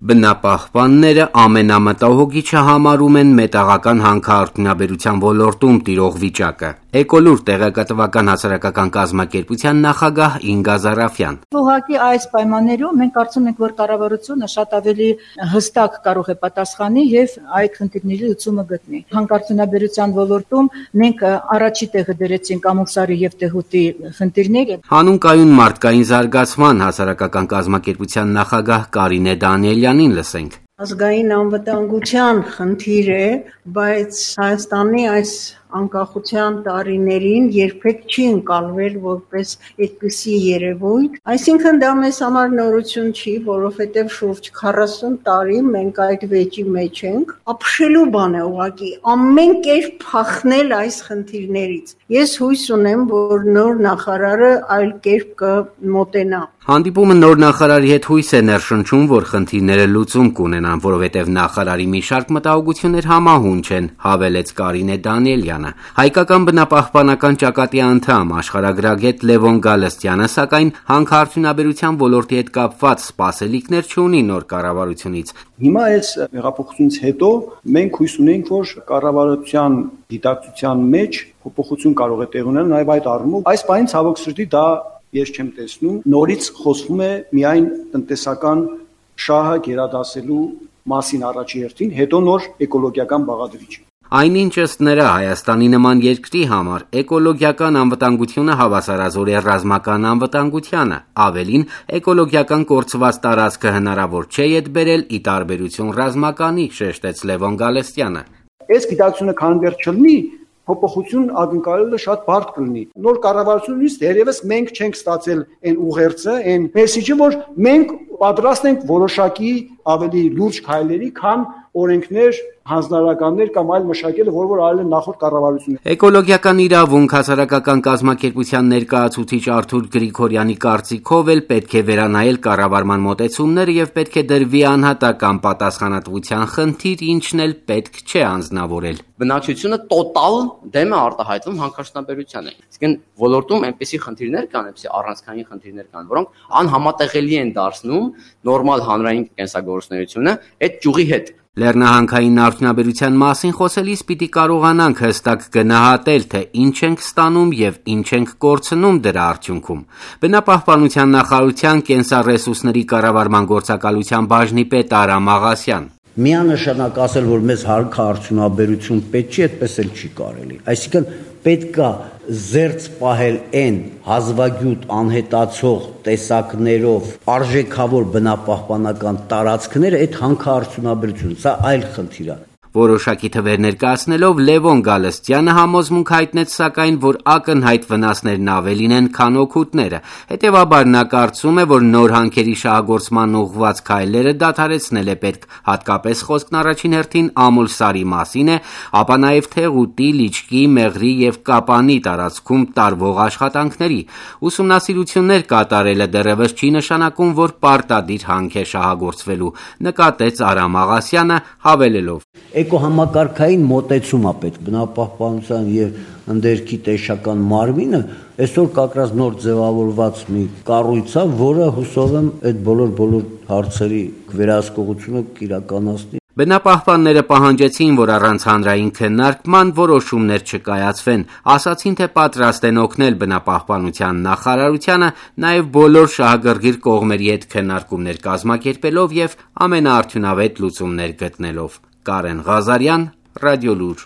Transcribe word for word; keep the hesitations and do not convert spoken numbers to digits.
Բնապահպանները ամենամտահոգիչը համարում են մետաղական հանքարդյունաբերության ոլորտում տիրող վիճակը։ Էկոլուր տեղեկատվական հասարակական կազմակերպության նախագահ Ինգա Զարաֆյան: Ուղղակի այս պայմաններում մենք կարծում ենք, որ կառավարությունը շատ ավելի հստակ կարող է պատասխանի եւ այդ խնդիրների լուծումը գտնի։ Հանքարդյունաբերության ոլորտում մենք առաջի տեղը դրեցինք ամուսարի եւ Թեղուտի խնդիրները։ Հանուն կայուն մարդկային զարգացման հասարակական կազմակերպության նախագահ Կարինե Դանիելյանին լսենք: Ազգային անվտանգության խնդիր է, բայց Հայաստանի այս անկախության տարիներին երբեք չի ընկալվել որպես այդպիսի երևույթ, այսինքն դա մեզ համար նորություն չի, որովհետև շուրջ քառասուն տարի մենք այդ վեճի մեջ ենք, ապշելու բան է ուղղակի, ամեն կերպ փախնել այս խնդիրներից։ Ես հույս ունեմ, որ նոր նախարարը այլ կերպ կմոտենա։ Հանդիպումը նոր նախարարի հետ հույս է ներշնչում, որ խնդիրները լուծում կունենան, որովհետև նախարարի մի շարք մտահոգություններ համահունչ են, հավելեց Կարինե Դանիելյանը։ Հայկական բնապահպանական ճակատի անդամ աշխարհագրագետ Լևոն Գալստյանը, սակայն հանքարդյունաբերության ոլորտի հետ կապված սպասելիքներ չունի նոր կառավարությունից։ Հիմա այս հեղափոխությունից հետո մենք հույս ունենք, որ կառավարության դիտակցության մեջ փոփոխություն կարող է տեղ ունենալ, նաև այդ առումով այս պահին ցավոք սրտի դա ես չեմ տեսնում, նորից խոսվում է միայն տնտեսական շահը գերադասելու մասին առաջի հերթին, հետո նոր էկոլոգիական բաղադրիչ։ Այնինչ ըստ նրա Հայաստանի նման երկրի համար էկոլոգիական անվտանգությունը հավասարազոր է ռազմական անվտանգությանը, ավելին էկոլոգիական կորցված տարածքը հնարավոր չէ ետ բերել ի տարբերություն ռազմականի, շեշտեց Լևոն Գալստյանը։ Այս գիտակցությունը քան դեռ չլինի, փոփոխություն ակնկալելը շատ բարդ կլինի։ Նոր կառավարությունից դերևս մենք չենք ստացել այն ուղերձը, այն մեսիջը, որ մենք պատրաստ ենք որոշակի ավելի լուրջ քայլերի, քան օրենքներ, հանձնարարականներ կամ այլ մշակելը, որ որ արել են նախորդ կառավարությունները։ Էկոլոգիական իրավունք հասարակական կազմակերպության ներկայացուցիչ Արթուր Գրիգորյանի կարծիքով էլ պետք է վերանայել կառավարման մոտեցումները եւ պետք է դրվի անհատական պատասխանատվության խնդիր, ինչն էլ պետք չէ անձնավորել։ Բնակչությունը տոտալ դեմ է արտահայտվում հանքարդյունաբերությանը։ Իսկն ոլորտում այնպիսի խնդիրներ կան, այնպիսի առանցքային խնդիրներ կան, որոնք անհամատեղելի են դարձնում նորմալ հանրային կենսագործունեությունը այդ ճյուղի հետ։ Լեռնահանքային արդյունաբերության մասին խոսելիս պիտի կարողանանք հստակ գնահատել, թե ինչ ենք ստանում եւ ինչ ենք կորցնում դրա արդյունքում։ Բնապահպանության նախարարության կենսառեսուրսների կառավարման գործակալության բաժնի պետ Արամ Աղասյան: Միանշանակ ասել, որ մեզ հանքարդյունաբերություն պետք չի, այդպես էլ չի կարելի։ Այսինքն պետք է զերծ պահել այն հազվագյուտ անհետացող տեսակներով արժեքավոր բնապահպանական տարածքները, այդ հանքարդյունաբերությունը, սա այլ խնդիր է։ Որոշակի թվեր ներկայացնելով Լևոն Գալստյանը համոզմունք հայտնեց, սակայն, որ ակնհայտ վնասներն ավելին են, քան օգուտները։ Հետևաբար նա կարծում է, որ նոր հանքերի շահագործման ուղղված քայլերը դադարեցնել է պետք, հատկապես խոսքն առաջին հերթին Ամուլսարի մասին է, ապա նաև Թեղուտի, Լիճկի, Մեղրի եւ Կապանի տարածքում տարվող աշխատանքների։ Ուսումնասիրություններ կատարելը դեռևս չի նշանակում, որ պարտադիր հանք է շահագործվելու, նկատեց Արամ Աղասյանը, հավելելով. Էկոհամակարգային մոտեցում է պետք բնապահպանության եւ ընդերքի տեսչական մարմինը այսօր կակրած նոր ձևավորված մի կառույց է, որը հուսով եմ այդ բոլոր բոլոր հարցերի վերահսկողությունը կիրականացնի։ Բնապահպանները պահանջեցին, որ առանց հանրային քննարկման որոշումներ չկայացվեն, ասացին, թե պատրաստ են օգնել բնապահպանության նախարարությանը, նաև բոլոր շահագրգիռ կողմերի հետ քննարկումներ կազմակերպելով եւ ամենաարդյունավետ լուծումներ գտնելով։ Կարեն Ղազարյան, Ռադիոլուր։